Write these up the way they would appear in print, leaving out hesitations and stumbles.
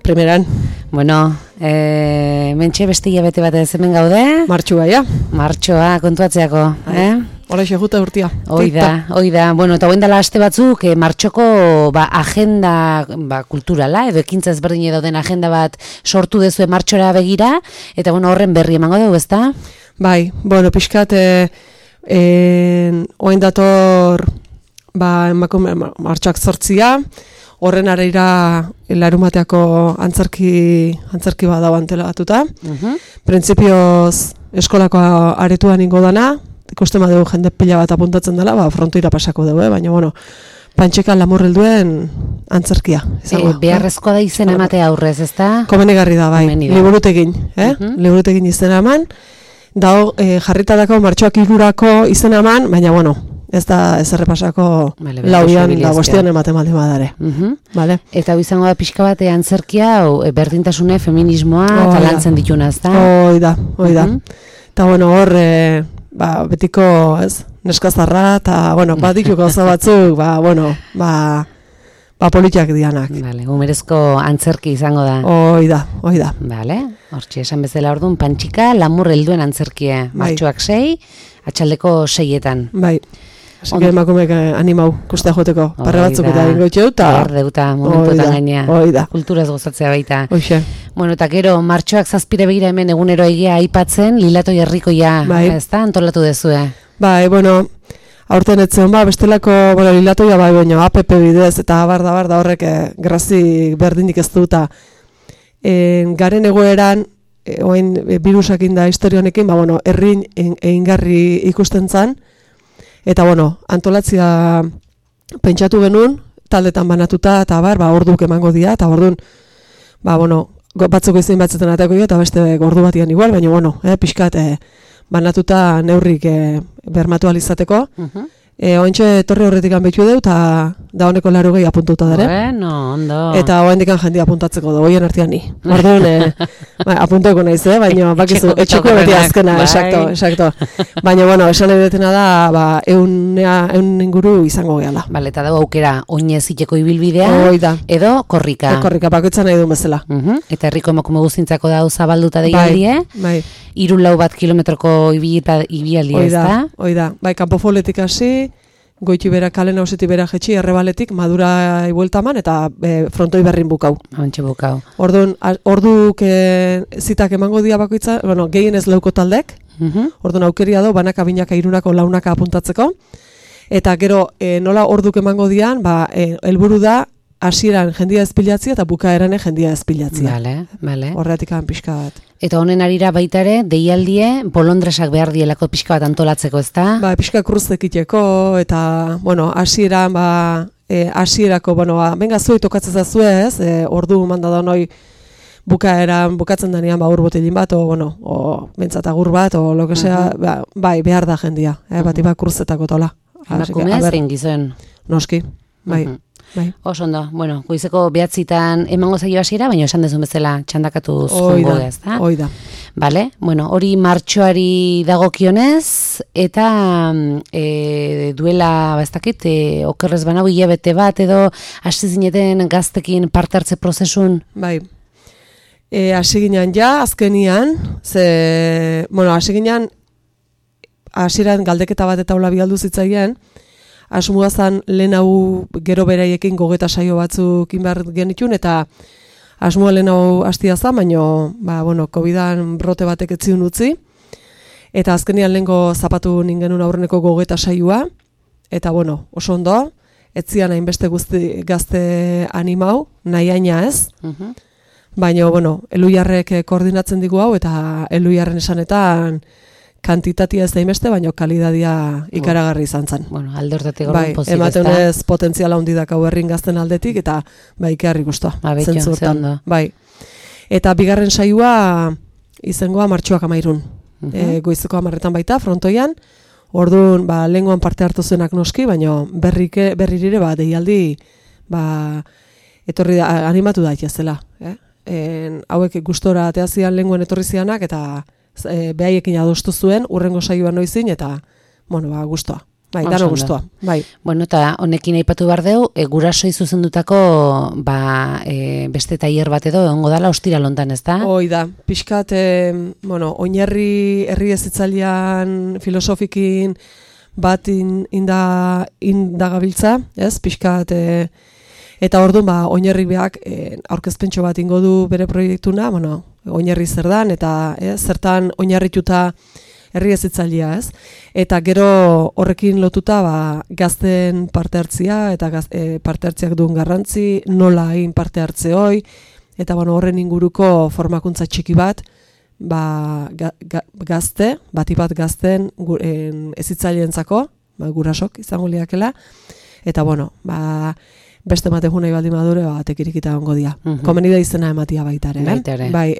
Primeran. Bueno, mentxe beste hilabete bat ez hemen gaude? Martxua, ja. Martxoa, kontuatzeako, Hora xeguta urtia. Oida. Bueno, eta hoen dela aste batzuk, martxoko agenda kulturala, edo ekintza ezberdin dauden agenda bat sortu dezue martxora begira, eta bueno, horren berri emango dugu, ezta? Bai, bueno, pixkat, hoen dator, martxoak 8, horren areira larumateako antzerki bat dago antelatuta. Printzipioz eskolako aretuan ingo dana, ikusten badugu jende pila bat apuntatzen dela, frontoira pasako dugu, baina bueno, Pantxeka Lamurrelduen antzerkia. Beharrezkoa da izena ematea aurrez, ezta? Komenigarri da, bai. Liburutegin, liburutegin izena eman. Dago jarritatako martxoak 3 izena eman, baina bueno, ez da ez errepasako lauian da bostean ematen baldin badare. Eta hau izango da pixka bat antzerkia, berdintasune, feminismoa, eta lantzen dituna, ez da? Oida. Eta bueno, hor, betiko, ez, neskazarra, eta bueno, ditu gauza batzuk, politiak dianak. Umerezko antzerki izango da. Oida. Hortxe, esan bezala orduan, Pantxika Lamurrelduen antzerkia. Martxoak 6, atxaldeko 6etan. Bai. Así que emakumeek animau, kustea joteko, parre batzuk eta ingotxeu, eta momentuetan gaina, kulturaz gozatzea baita. Oixe. Bueno, eta gero, martxoak 7 begira hemen egunero egia aipatzen, Lilatoi herrikoia, ez da, antolatu dezue? Bai, bueno, aurten etzen, bestelako, Lilatoia baina APP bidez, eta barda horrek grazi berdinik ez duta. Garen egoeran, oain virusakin da historionekin, herrin eingarri ikusten zan, eta antolatzia pentsatu genuen, taldetan banatuta, eta orduk emango dira, eta orduan, batzuk izin batzetan atako eta beste ordu batian igual, baina pixkat banatuta neurrik bermatu alizateko. Ointxe torre horretik anbeitu dut, eta da honeko 80 apuntuta dara. Bueno, ondo. Eta hoendik jendia apuntatzeko du, hoien artean ni. Orduan, apunteko naiz, baina bakizu, etxeko beti azkena, exacto. Baina, esan edetena da, eun inguru izango gehala. Bale, eta dago aukera, oineziteko ibilbidea, edo korrika. Korrika, bakoitzan nahi du bezala. Eta herriko emakume guztintzako da zabalduta deialdie. Bai. 3-4 kilometroko ibialdia, ez da? Oida. Bai, kanpofoletik hasi, goiti bera kalen hausetik bera jetxi, errebaletik, madura ibueltaman, eta frontoi berrin bukau. Hantxe bukau. Orduan, orduk zitak emango dia bakoitza, gehien ez leuko taldek, orduan aukeria do, banaka, binaka, irunako, launaka apuntatzeko, eta gero, nola orduk emango dian, helburu da, hasieran jendia ezpilatzia eta bukaeran jendia ezpilatzia. Bale. Horretik pixka bat. Eta honen arira baita ere, deialdie, bolondresak behar dielako pixka bat antolatzeko, ez da? Pixka kruztekiteko, eta, hasieran, hasierako, benga zuei tokatzen zazue, ez? Ordu manda da noi bukatzen denean, ur botelin bat, o bentsat agur bat, o lo que sea, behar da jendia, bati kruzetako tola. Emakumea zein gizon? Noski, bai. Oso ondo, goizeko 9 emango zaio hasiera, baina esan dezun bezala txandakatu zongo ez da? Oida. Bale, hori martxoari dagokionez, eta duela, ez dakit, okerrez banau hilabete bat, edo hasi zineten gaztekin parte hartze prozesun? Bai, hasi ginen azkenian, hasi ginen, hasieran galdeketa bat eta hola bialdu zitzaien, asmoa zan lehen hau gero beraiekin gogeta saio batzuk inbar genitun, eta asmoa lehen hau hastia zan, baina, COVID-an brote batek etziun utzi, eta azkenian lehenko zapatu ningenun aurreneko gogeta saioa, eta oso ondo, etzian hainbeste gazte animau, nahi aina ez, baina, Eluiarrek koordinatzen digu hau, eta Eluiarren esanetan, kantitatia ez daimeste, baina kalidadia ikaragarri izan zen. Aldortatik gorren pozik, ez da? Ematen ez potentziala hundidak hau herrin gazten aldetik, eta ikarri guztua. Betxo, ze ondo. Bai. Eta bigarren saioa izangoa martxoak 13. Goizeko 10 baita, frontoian. Orduan, lehengoan parte hartu zenak noski, baina berririre, deialdi, etorri da, animatu da itazela. Hauek gustora ateazian lehengoan etorri zianak, eta behaiekin adostu zuen, urrengo saioan noizin, eta, gustoa. bai, dano guztua, bai. Bueno, eta honekin aipatu behar deu, gurasoi zuzendutako beste tailer bat edo egongo dala ostira lontan, ez da? Hoi da, pixkat, oinarri herri ezitzailean filosofikin bat indagabiltza, ez, pixkat, eta orduan, oinarri beak aurkezpentxo bat ingo du bere proiektuna, oinarri zer dan, eta zertan oinarrituta herri ezitzailea, ez? Eta gero horrekin lotuta gazten parte hartzia eta parte hartziak duen garrantzi, nola egin parte hartze hoi, eta horren inguruko formakuntza txiki bat, gazte, batipat gazten ezitzaileentzako, gurasok izango liakela, eta beste ematen nahi baldin madure, tekirikita ongo dia. Komeni da izena ematia baitare. Bai,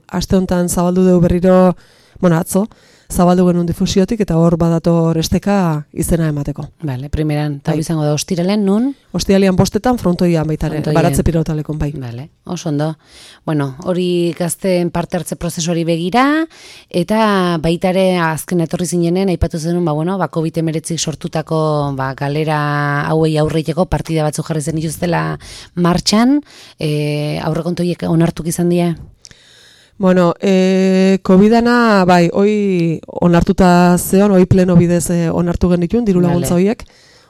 aste honetan zabaldu dugu berriro, atzo, zabaldu genuen difusiotik, eta hor badator esteka izena emateko. Bale, primeran, eta izango da ostiralen nun? Ostiralean 5etan frontoian baitare, baratze pilotalekon, bai. Bale, oso ondo. Bueno, hori gazten parte hartze prozesuari begira, eta baitare azken etorri zinenen, aipatu zenun, COVID-19 sortutako galera hauei aurreiteko partida batzu jarri zen dituztela martxan, aurrekontoiek onartuk izan dira? Bueno, COVID-ana, bai, hoi onartuta zeon, hoi pleno bidez onartu genitun, diru laguntza horiek.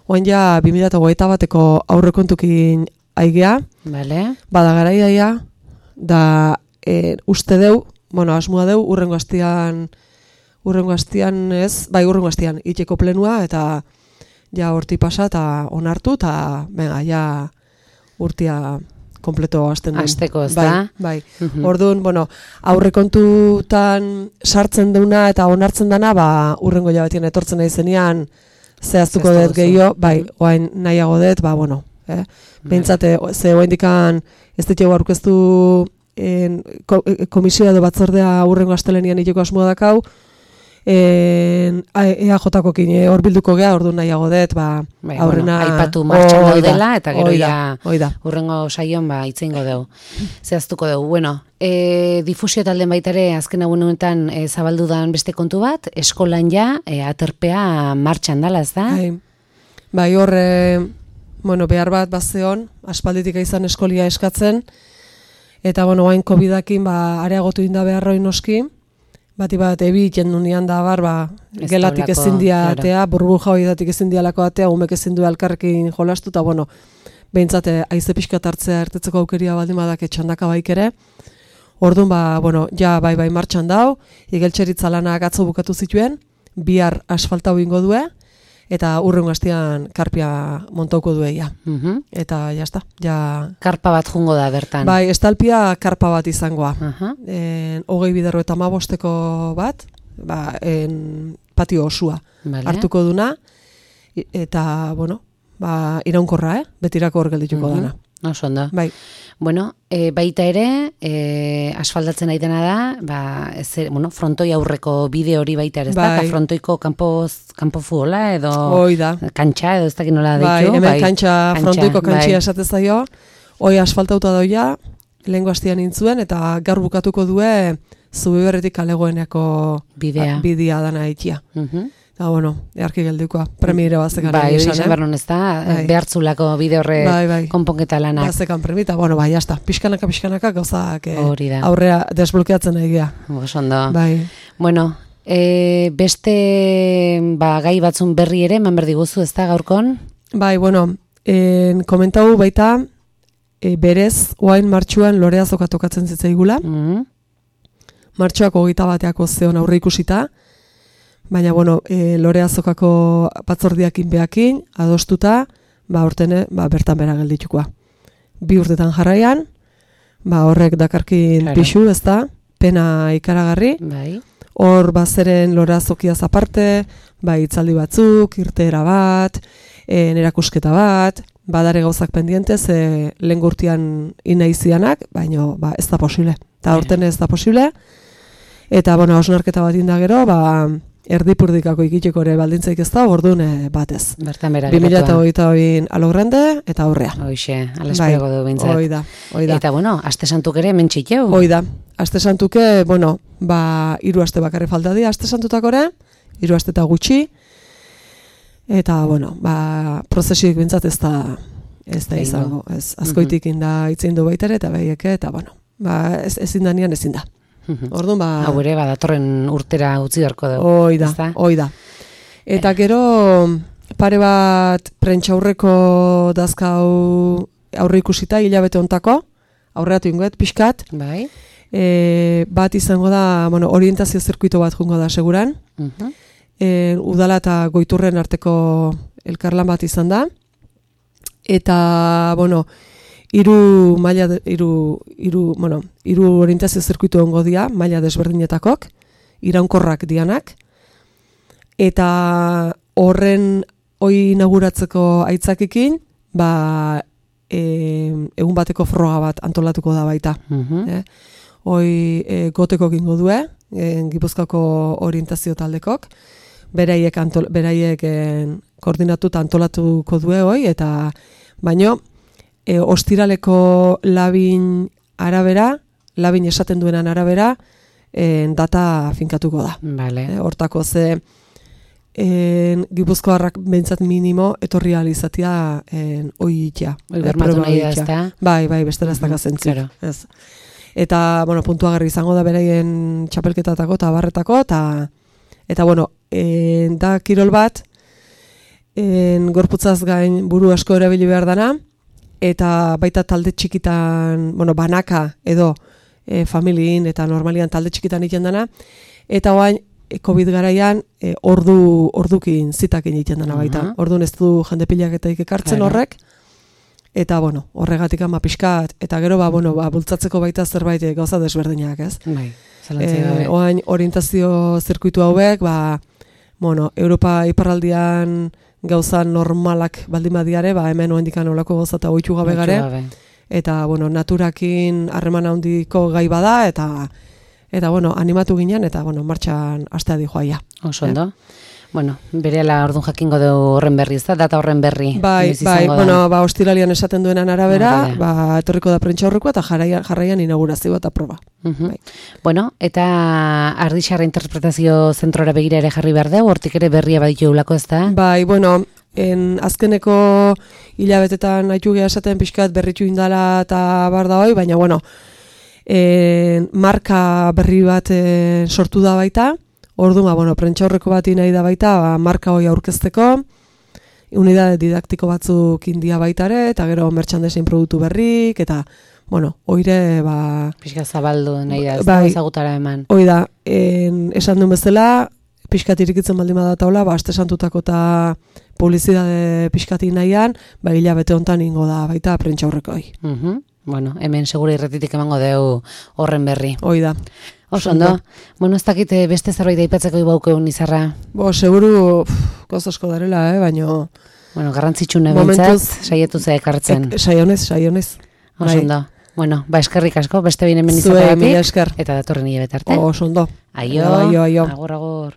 Oain ja, 2021ko aurrekontukin aigea. Bada garaia, da uste deu, asmoa deu, urrengo hastian ez, bai, urrengo hastian, itxeko plenua, eta ja horti pasa, eta onartu, eta ja urtia kompleto hasten den. Azteko, ez da? Bai. Orduan, aurrekontutan sartzen deuna eta onartzen dana, urrengo jabatien etortzen nahi zenean, zehaztuko dut gehiago, bai, oain nahiago dut, behintzate, ze oain dikan ez ditego aurkeztu komisioa edo batzordea urrengo astelenian iteko asmoa dakau, EAJ-ko kine hor bilduko geha, ordu nahiago dut, aurrena... Aipatu martxan daudela, eta gero urrengo saion itzeingo dugu. Zehaztuko dugu. Bueno, difusio talden baitare azken honetan zabaldu dan beste kontu bat, eskolan ja, aterpea martxan dala, ez da? Bai, hor, behar bat bazeon, aspalditik izan eskolia eskatzen, eta, hain COVID-akin areagotu inda beharroi noski, bati bat ebi jendunian da gelatik ezin diatea, burbuja hori datik ezin dialako atea, umek ezin du alkarrekin jolastu, eta behintzate aize pixkat hartzea ertetzeko aukeria baldin badak etxandaka baik ere. Orduan, ja bai martxan dau, igeltxeritza lanak atzo bukatu zituen, bihar asfaltau ingo due, eta urrengo hastian karpia montauko dueia. Eta jazta, ja... Karpa bat jungo da bertan. Bai, estalpia karpa bat izangoa. 20 biderro eta 15 bat, patio osua hartuko duna, eta, iraunkorra, betirako hor geldituko dana. Oso ondo. Bai. Bueno, baita ere, asfaldatzen aitena da, frontoi aurreko bide hori baita ere, ez da? Eta frontoiko kanpo fuola edo... Oida. Kantxa edo ez dakit nola ditu. Bai, hemen kantxa, frontoiko kantxia esatez zaio. Hoi asfaltauta doia, lehengo hastian intzuen, eta gaur bukatuko due Zubiberritik kalegoeneko bidea dana itia. Eta, earki geldikoa, premiere bazekan. Bai, izan bernon ez da, behartzulako bide horre konponketa lanak. Bazekan premita, jazta, pixkanaka gauzak aurrea desblokeatzen nahi gea. Osondo. Bai. Bueno, beste gai batzun berri ere, eman berdi guzu, ez da, gaurkon? Bai, komentau baita, berez, oain martxuan Loreazoka tokatzen zitzaigula. Martxoak 21ako zeon aurre ikusita, baina, Loreazokako batzordiakin behakin, adostuta, hortene, bertan bera gelditukoa. 2 urtetan jarraian, horrek dakarkin pixu, ez da, pena ikaragarri. Hor, bazeren Loreazokiaz aparte, itzaldi batzuk, irteera bat, nerakusketa bat, badare gauzak pendientez, lehen gurtian inaizianak, baina ez da posible. Eta hortene ez da posible, eta, hausnarketa bat inda gero, erdipurdikako ikiteko ere baldintzaik ez da, orduan batez. Bertan bera 2022 alogrande eta aurrea. Hoixe, alespego du bintzat. Oida. Eta, aste santuk ere mentxiteu. Oida. Aste santuke, 3 aste bakarri falta dira, aste santutakore, 3 aste eta gutxi. Eta, bueno, prozesioik bintzat ez da izango. Ez, azkoitik inda itzin du baitare, eta behieke, eta, bueno, ezin da nian ezin da. Orduan, hau ere, datorren urtera utzi beharko dugu. Hoi da. Eta gero, pare bat prentxaurreko dazkau aurre ikusita, hilabete ontako, aurreatu ingoet, pixkat. Bai. Bat izango da, bueno, orientazio zirkuito bat jungo da, seguran. Udala eta Goiturren arteko elkarlan bat izan da. Eta, bueno, hiru orientazio zirkuitu ongo dia, maila desberdinetakok, iraunkorrak dianak. Eta horren hoi inauguratzeko aitzakikin, egun bateko froga bat antolatuko da baita. Hoi goteko gingo due, Gipuzkoako orientazio taldekok, beraiek koordinatuta antolatuko due hoi, eta baino, ostiraleko labin esaten duenan arabera, data finkatuko da. Hortako ze, Gipuzkoarrak behintzat minimo etorri alizatia hoi itia. Bermatu nahi da, ez da? Bai, bestera ez daka zentzik. Eta, bueno, puntuagarri izango da beraien txapelketatako eta barretako, eta bueno, da kirol bat, gorputzaz gain buru asko erabili behar dana, eta baita talde txikitan, bueno, banaka edo familien eta normalian talde txikitan egiten dana, eta oain, COVID garaian ordukin zitakin egiten dana baita. Orduan ez du jende pilaketaik ekartzen horrek, eta, bueno, horregatik ama pixkat, eta gero, bultzatzeko baita zerbait gauza desberdinak, ez? Oain, orientazio zirkuitu hauek, Europa iparraldian gauza normalak baldin badiare, hemen oendikan olako gauza eta oitu gabe gare, eta, naturakin harreman handiko gai bada, eta, animatu ginen, eta, martxan astea di joaia. Oso ondo. Berehala orduan jakingo dugu horren berri, ez da? Data horren berri. Bai, ostiralian esaten duenan arabera, etorriko da prentxaurrekoa eta jarraian inaugurazioa eta proba. Eta Ardixarra interpretazio zentrora begira ere jarri behar dugu, hortik ere berria baditu eulako, ez da? Bai, azkeneko hilabetetan haitu geha esaten pixkat berritu indala eta bar da hoi, baina, marka berri bat sortu da baita. Orduan, prentxaurreko bat nahi da baita, marka hoi aurkezteko, unidade didaktiko batzuk india baitare, eta gero merchandising produktu berrik, eta, oire, pixka zabaldu nahi da, ez da ezagutara eman. Hoi da, esan duen bezala, pixkat irikitzen baldin badataula, aste santutako eta publizidade pixkati nahian, hilabete hontan ingo da baita prentxaurreko hoi. Hemen segura irretitik emango deu horren berri. Hoi da. Oso ondo. Ez dakit beste zerbait aipatzeko ibaukeun izarra. Seguru gozosko darela, baino... garrantzitsune bentzat, saietu ze ekartzen. Saionez. Oso ondo. Eskerrik asko, beste bine hemen izateagatik. Eta datorren hilabete arte. Oso ondo. Aio. Agur.